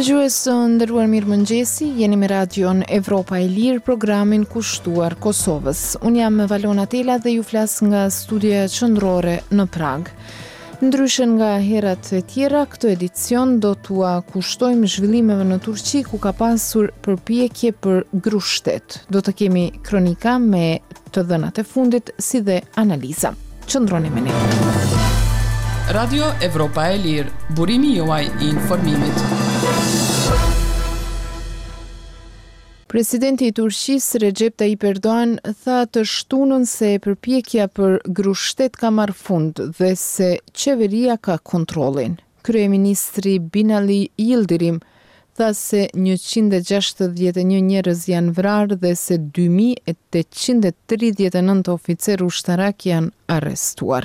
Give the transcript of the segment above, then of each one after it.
Dëgjues të nderuar mirëmëngjesi, jeni me Radion Evropa e Lirë, programin kushtuar Kosovës. Unë jam Valona Tela dhe ju flas nga studioja qendrore në Pragë. Ndryshe nga herat e tjera, këtë edicion do t'ua kushtojmë zhvillimeve në Turqi ku ka pasur përpjekje për grusht-shtet. Do të kemi kronika me të dhënat e fundit si dhe analiza. Qëndroni me ne. Radio Evropa e Lirë, burimi juaj i informimit. Presidenti i Turqisë, Rexhep Tajip Erdogan, tha të shtunën se përpjekja për grusht-shtet ka marrë fund dhe se qeveria ka kontrollin. Kryeministri Binali Yildirim tha se 161 njerëz janë vrarë dhe se 2839 oficerë ushtarakë janë arrestuar.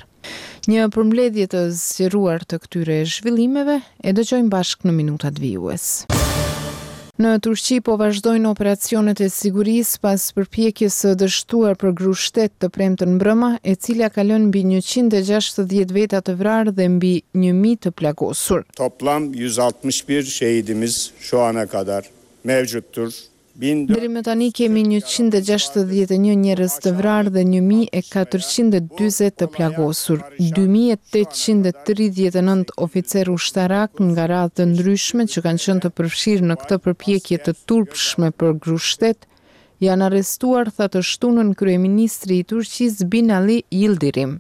Një përmbledhje të zgjeruar të këtyre zhvillimeve e dëgjojmë bashkë në minutat vijues. Në Turqi po vazhdojnë operacionet e sigurisë pas përpjekjes së dështuar për grusht-shtet të premten mbrëma, e cila ka lënë mbi 160 veta të vrarë dhe mbi 1000 të plagosur. Toplam 161 şehidimiz şu ana kadar mevcuttur. Deri më tani kemi 161 njerëz të vrarë dhe 1440 të plagosur, 2839 oficerë ushtarakë nga radhë të ndryshme që kanë qenë të përfshirë në këtë përpjekje të turpshme për grusht-shtet, janë arrestuar, tha të shtunën kryeministri i Turqisë Binali Yildirim.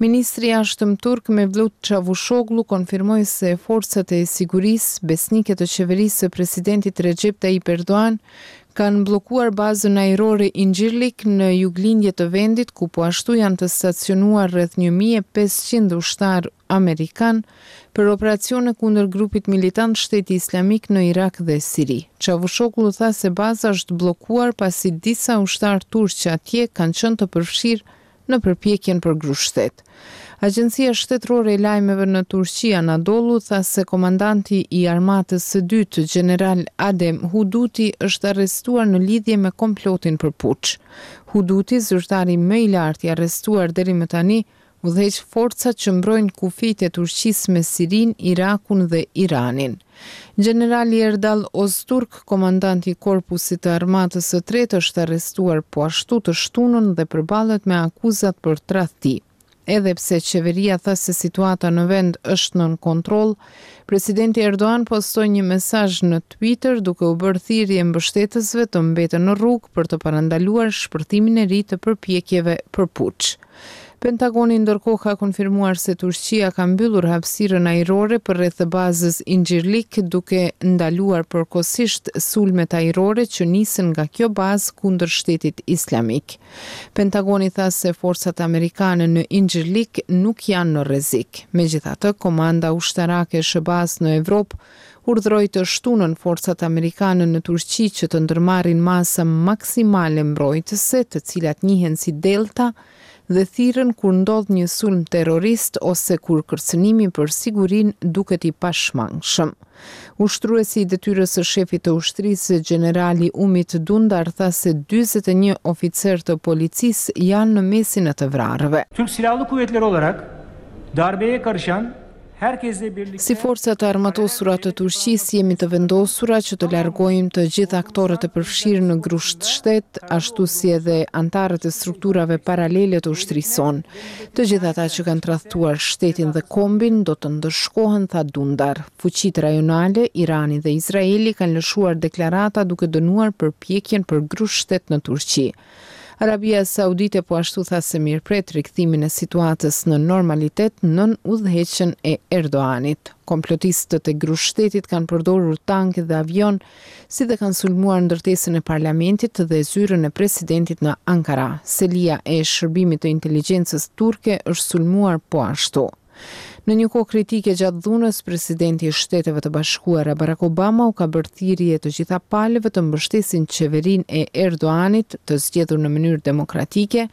Ministri i Jashtëm turk Mevlut Çavushoglu konfirmoi se forcat e sigurisë, besnike të qeverisë së presidentit Rexhep Tajip Erdogan, kanë bllokuar bazën ajrore Incirlik në juglindje të vendit, ku po ashtu janë të stacionuar rreth 1500 ushtarë amerikanë për operacione kundër grupit militant Shteti Islamik në Irak dhe Siri. Çavushoglu tha se baza është bllokuar pasi disa ushtarë turq atje kanë qenë të përfshirë në përpjekjen për grusht-shtet. Agjencia shtetërore e lajmeve në Turqi, Anadolu, tha se komandanti i armatës së dytë, gjeneral Adem Huduti, është arrestuar në lidhje me komplotin për puç. Huduti, zyrtari më i lartë i arrestuar deri më tani, udhëheq forcat që mbrojnë kufijtë e Turqisë me Sirinë, Irakun dhe Iranin. Gjenerali Erdal Ozturk, komandant i Korpusit të Armatës së Tretë është arrestuar po ashtu të shtunën dhe përballet me akuzat për tradhti. Edhe pse qeveria tha se situata në vend është nën kontroll, presidenti Erdogan postoi një mesazh në Twitter duke u bërë thirrje mbështetësve të mbeten në rrugë për të parandaluar shpërthimin e ri të përpjekjeve për puç. Pentagoni ndërkohë ka konfirmuar se Turqia ka mbyllur hapësirën ajrore përreth bazës Incirlik, duke ndaluar përkohësisht sulmet ajrore që nisën nga kjo bazë kundër Shtetit Islamik. Pentagoni tha se forcat amerikane në Incirlik nuk janë në rrezik. Megjithatë, komanda ushtarake e SHBA-së në Evropë urdhëroi të shtunën forcat amerikane në Turqi që të ndërmarrin masa maksimale mbrojtëse, të cilat njihen si Delta, dhe thirren kur ndodh një sulm terrorist ose kur kërcënimi për sigurinë duket i pashmangshëm. Ushtruesi i detyrës së shefit të ushtrisë, gjenerali Umit Dundar tha se 41 oficerë të policisë janë në mesin e të vrarëve. Türk Silahlı Kuvvetleri olarak darbeye karışan Si forca të armatosura të Turqisë jemi të vendosura që të largojmë të gjithë aktorët e përfshirë në grusht shtet, ashtu si edhe anëtarët e strukturave paralele të ushtrisë sonë. Të gjithë ata që kanë tradhtuar shtetin dhe kombin do të ndëshkohen, tha Dundar. Fuqitë rajonale, Irani dhe Izraeli kanë lëshuar deklarata duke dënuar përpjekjen për grusht shtet në Turqi. Arabia Saudite po ashtu tha se mirëpret rikthimin e situatës në normalitet nën udhëheqjen e Erdoganit. Komplotistët e grusht shtetit kanë përdorur tanke dhe avionë, si dhe kanë sulmuar ndërtesën e parlamentit dhe zyrën e presidentit në Ankara. Selia e shërbimit të inteligjencës turke është sulmuar po ashtu. Në një kohë kritike gjatë dhunës, presidenti i Shteteve të Bashkuara Barack Obama u ka bërë thirrje të gjitha palëve të mbështesin qeverinë e Erdoganit të zgjedhur në mënyrë demokratike,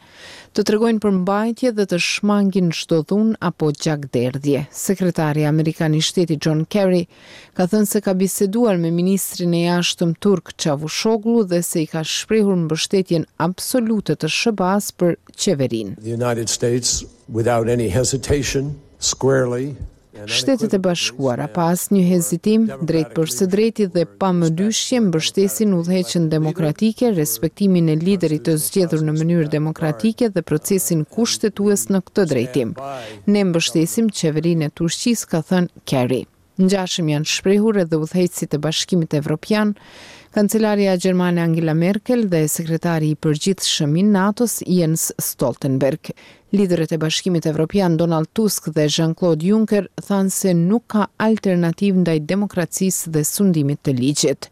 të tregojnë përmbajtje dhe të shmangin çdo dhunë apo gjakderdhje. Sekretari amerikan i Shtetit John Kerry ka thënë se ka biseduar me ministrin e Jashtëm turk Çavushoglu dhe se i ka shprehur mbështetjen absolute të SHBA-së për qeverinë. The United States without any hesitation, squarely. Shtetet e Bashkuara, pa asnjë hezitim, drejtpërsëdrejti dhe pa mëdyshje mbështesin udhëheqjen demokratike, respektimin e liderit të zgjedhur në mënyrë demokratike dhe procesin kushtetues në këtë drejtim. Ne mbështesim qeverinë e Turqisë, ka thënë Kerry. Ngjashëm janë shprehur edhe udhëheqësit e Bashkimit Evropian, kancelarja gjermane Angela Merkel dhe sekretari i përgjithshëm i NATO-s Jens Stoltenberg. Liderët e Bashkimit Evropian Donald Tusk dhe Jean-Claude Juncker thanë se nuk ka alternativë ndaj demokracisë dhe sundimit të ligjit.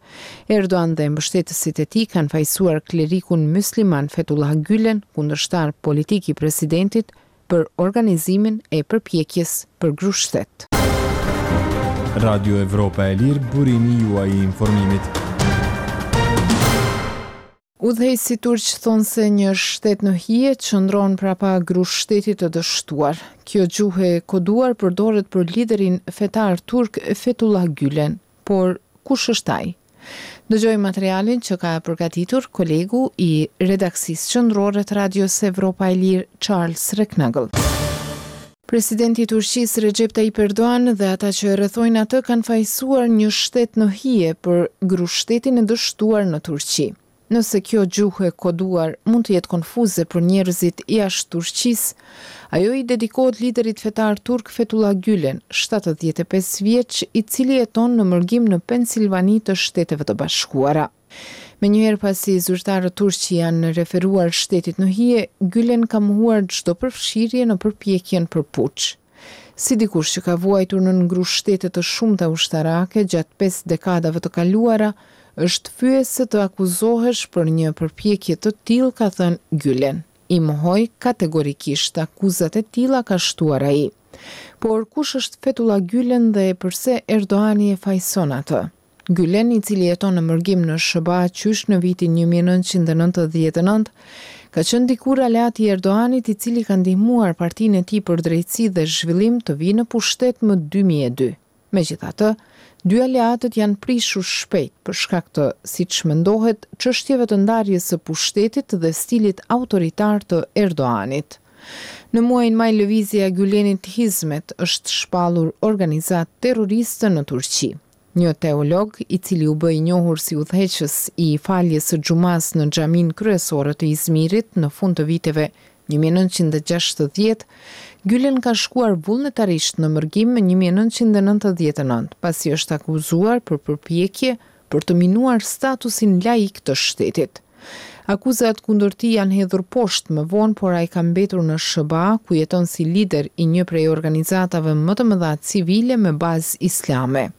Erdogan dhe mbështetësit e tij kanë fajësuar klerikun mysliman Fethullah Gülen, kundërshtar politik i presidentit, për organizimin e përpjekjes për grusht-shtet. Radio Evropa e Lirë, burimi juaj i informimit. Udhëheqësit turq thonë se një shtet në hije qëndron prapa grusht-shtetit të dështuar. Kjo gjuhë e koduar përdoret për liderin fetar turk Fethullah Gülen. Por, kush është ai? Dëgjojmë materialin që ka përgatitur kolegu i redaksisë qendrore të Radios Evropa e Lirë, Charles Recknagel. Presidenti i Turqisë, Rexhep Tayyip Erdogan dhe ata që e rrethojnë atë kanë fajësuar një shtet në hije për grusht-shtetin e dështuar në Turqi. Nëse kjo gjuhë e koduar mund të jetë konfuze për njerëzit jashtë Turqisë, ajo i dedikohet liderit fetar turk Fethullah Gülen, 75 vjeç, i cili jeton në mërgim në Pensilvani të Shteteve të Bashkuara. Menjëherë pasi zyrtarët turq i janë referuar shtetit në hije, Gülen ka mohuar çdo përfshirje në përpjekjen për puç. Si dikush që ka vuajtur nën grusht-shtete të shumta ushtarake gjatë pesë dekadave të kaluara, është fyese të akuzohesh për një përpjekje të tillë, ka thënë Gülen. I mohoj kategorikisht akuzat e tilla, ka shtuar ai. Por kush është Fethullah Gülen dhe përse Erdogani e fajëson atë? Gülen, i cili jeton në mërgim në SHBA qysh në vitin 1999, ka qenë dikur aleat i Erdoganit i cili ka ndihmuar Partinë e tij për Drejtësi dhe Zhvillim të vijë në pushtet më 2002. Megjithatë, dy aleatët janë prishur shpejt për shkak të, siç mendohet, çështjeve të ndarjes së pushtetit dhe stilit autoritar të Erdoganit. Në muajin maj lëvizja e Gülenit Hizmet është shpallur organizatë terroriste në Turqi. Një teolog, i cili u bë i njohur si udhëheqës i faljes së xhumasë në xhaminë kryesore të Izmirit në fund të viteve 1960, Gülen ka shkuar vullnetarisht në mërgim më 1999, pasi është akuzuar për përpjekje për të minuar statusin laik të shtetit. Akuzat kundër tij janë hedhur poshtë më vonë, por ai ka mbetur në SHBA, ku jeton si lider i një prej organizatave më të mëdha civile me bazë islame.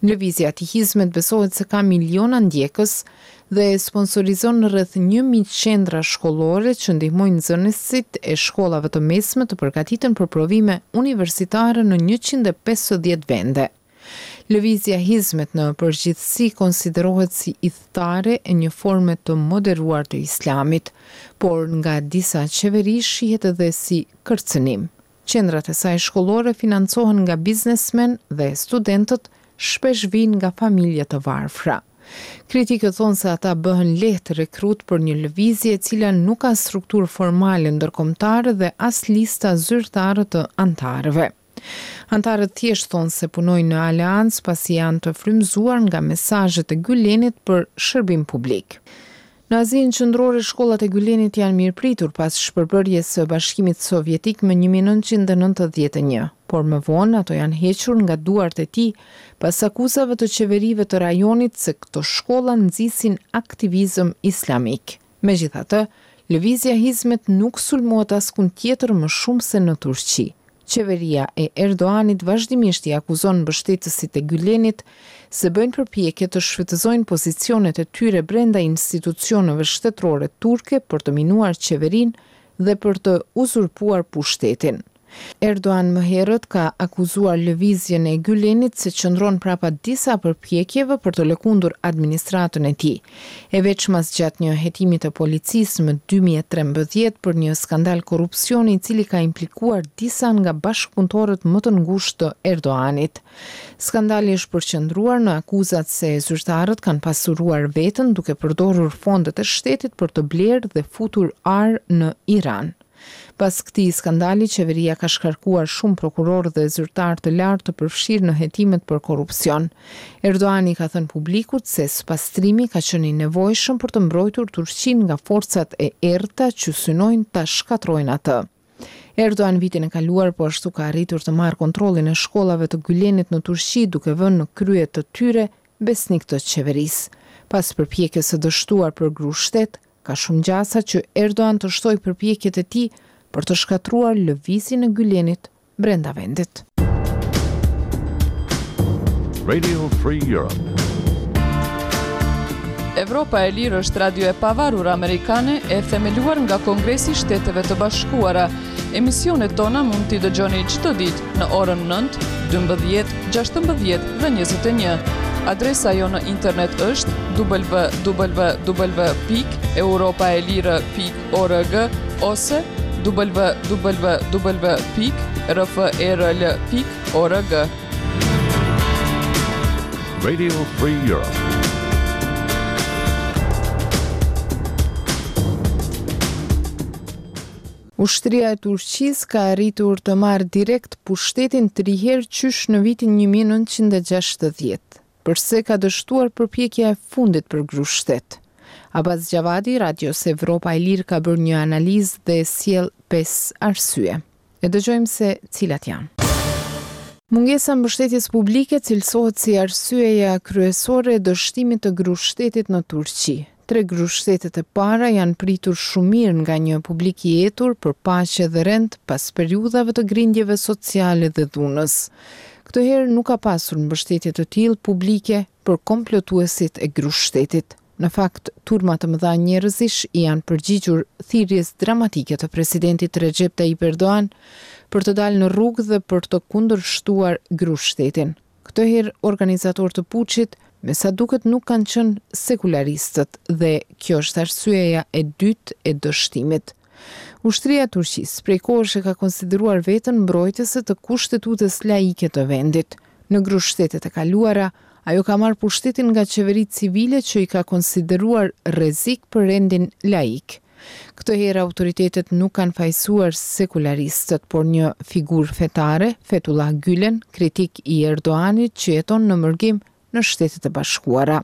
Lëvizja e tij Hizmet besohet se ka miliona ndjekës dhe sponsorizon rreth 1000 qendra shkollore që ndihmojnë nxënësit e shkollave të mesme të përgatiten për provime universitare në 150 vende. Lëvizja Hizmet në përgjithësi konsiderohet si ithtarë e një forme të moderuar të Islamit, por nga disa qeveri shihet edhe si kërcënim. Qendrat e saj shkollore financohen nga biznesmenë dhe studentët shpesh vijnë nga familje të varfra. Kritikët thonë se ata bëhen lehtë rekrutë për një lëvizje e cila nuk ka strukturë formale ndërkombëtare dhe as lista zyrtare të anëtarëve. Anëtarët thjesht thonë se punojnë në aleancë pasi janë të frymëzuar nga mesazhet e Gylenit për shërbim publik. Në Azinë Qendrore shkollat e Gylenit janë mirëpritur pas shpërbërjes së Bashkimit Sovjetik më 1991, por më vonë ato janë hequr nga duart e tij pas akuzave të qeverive të rajonit se këto shkolla nxisin aktivizëm islamik. Megjithatë, lëvizja Hizmet nuk sulmohet askund tjetër më shumë se në Turqi. Qeveria e Erdoganit vazhdimisht i akuzon mbështetësit e Gylenit se bëjnë përpjekje të shfrytëzojnë pozicionet e tyre brenda institucioneve shtetërore turke për të minuar qeverinë dhe për të uzurpuar pushtetin. Erdogan më herët ka akuzuar lëvizjen e Gylenit se qëndron prapa disa përpjekjeve për të lëkundur administratën e tij, e veçmas gjatë një hetimi të policisë më 2013 për një skandal korrupsioni i cili ka implikuar disa nga bashkëpunëtorët më të ngushtë të Erdoganit. Skandali është përqendruar në akuzat se zyrtarët kanë pasuruar veten duke përdorur fondet e shtetit për të blerë dhe futur ar në Iran. Pas këtij skandali, qeveria ka shkarkuar shumë prokurorë dhe zyrtarë të lartë të përfshirë në hetimet për korrupsion. Erdogan i ka thënë publikut se spastrimi ka qenë i nevojshëm për të mbrojtur Turqinë nga forcat e errëta që synojnë ta shkatërrojnë atë. Erdogan vitin e kaluar po ashtu ka arritur të marrë kontrollin e shkollave të Gylenit në Turqi duke vënë në krye të tyre besnikë të qeverisë. Pas përpjekjes së dështuar për grusht-shtet, ka shumë gjasa që Erdogan të shtojë përpjekjet e tij për të shkatërruar lëvizjen e Gylenit brenda vendit. Radio Free Europe. Evropa e Lirë është radio e pavarur amerikane e themeluar nga Kongresi i Shteteve të Bashkuara. Emisionet tona mund t'i dëgjoni çdo ditë në orën 9, 12, 16 dhe 21. Adresa jonë në internet është www.europaelire.org org ose www pikë rferl pikë org. Radio Free Europe. Ushtria e Turqisë ka arritur të marrë direkt pushtetin tri herë qysh në vitin 1960. Përse ka dështuar përpjekja e fundit për grusht-shtet? Abaz Xhavadi, Radios Evropa e Lirë ka bërë një analizë dhe sjell pesë arsye. E dëgjojmë se cilat janë. Mungesa e mbështetjes publike cilësohet si arsyeja kryesore e dështimit të grusht-shtetit në Turqi. Tre grushtshtetet e para janë pritur shumë mirë nga një publik i etur për paqe dhe rend pas periudhave të grindjeve sociale dhe dhunës. Këtë herë nuk ka pasur mbështetje të tillë publike për komplotuesit e grushtshtetit. Në fakt, turma të mëdha njerëzish i janë përgjigjur thirrjes dramatike të presidentit Rexhep Tajip Erdogan për të dalë në rrugë dhe për të kundërshtuar grushtshtetin. Këtë herë organizatorë të puçit, me sa duket nuk kanë qenë sekularistët dhe kjo është arsyeja e dytë e dështimit. Ushtria e Turqisë prej kohësh e ka konsideruar veten mbrojtëse të kushtetutës laike të vendit. Në grushtshtetet e kaluara, ajo ka marrë pushtetin nga qeveritë civile që i ka konsideruar rrezik për rendin laik. Këtë herë autoritetet nuk kanë fajësuar sekularistët, por një figurë fetare, Fetullah Gylen, kritik i Erdoganit që jeton në mërgim në Shtetet e Bashkuara.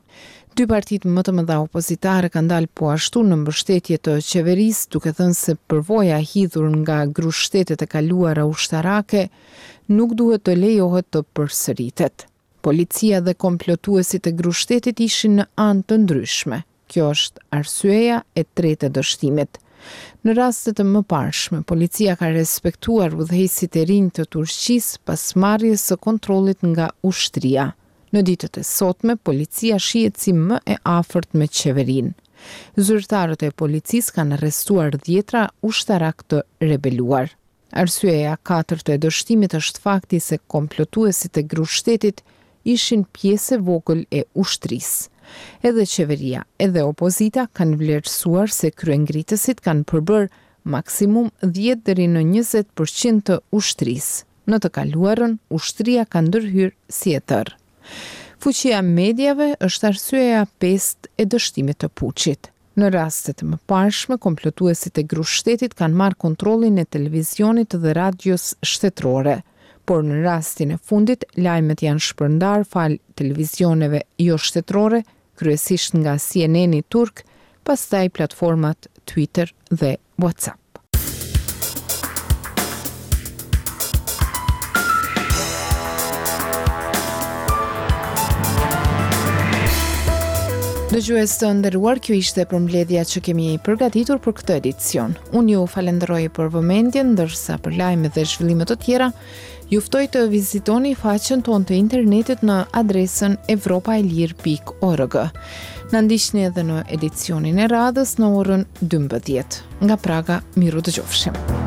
Dy partitë më të mëdha opozitare kanë dalë po ashtu në mbështetje të qeverisë, duke thënë se përvoja e hidhur nga grushtshtetet e kaluara ushtarake nuk duhet të lejohet të përsëritet. Policia dhe komplotuesit e grushtshtetit ishin në anë të ndryshme. Kjo është arsyeja e tretë e dështimit. Në raste të mëparshme, policia ka respektuar udhëheqësit e rinj të Turqisë pas marrjes së kontrollit nga ushtria. Në ditët e sotme, policia shihet si më e afërt me qeverinë. Zyrtarët e policisë kanë arrestuar dhjetra ushtarakë të rebeluar. Arsyeja e katërt e dështimit është fakti se komplotuesit e grushtshtetit ishin pjesë e vogël e ushtrisë. Edhe qeveria, edhe opozita kanë vlerësuar se kryengritësit kanë përbërë maksimum dhjetë deri në 20 për qind të ushtrisë. Në të kaluarën, ushtria ka ndërhyrë si e tërë. Fuqia e mediave është arsyeja e pestë e dështimit të puçit. Në raste të mëparshme, komplotuesit e grushtshtetit kanë marrë kontrollin e televizionit dhe radios shtetërore. Por në rastin e fundit, lajmet janë shpërndarë falë televizioneve joshtetërore, kryesisht nga CNN-i turk, pastaj platformat Twitter dhe WhatsApp. Dëgjues të nderuar, kjo ishte përmbledhja që kemi përgatitur për këtë edicion. Unë ju falenderoj për vëmendjen, ndërsa për lajme dhe zhvillime të tjera, ju ftoj të vizitoni faqen tonë të internetit në adresën evropaelire.org. Na ndiqni edhe në edicionin e radhës në orën 12. Nga Praga, mirudëgjofshim.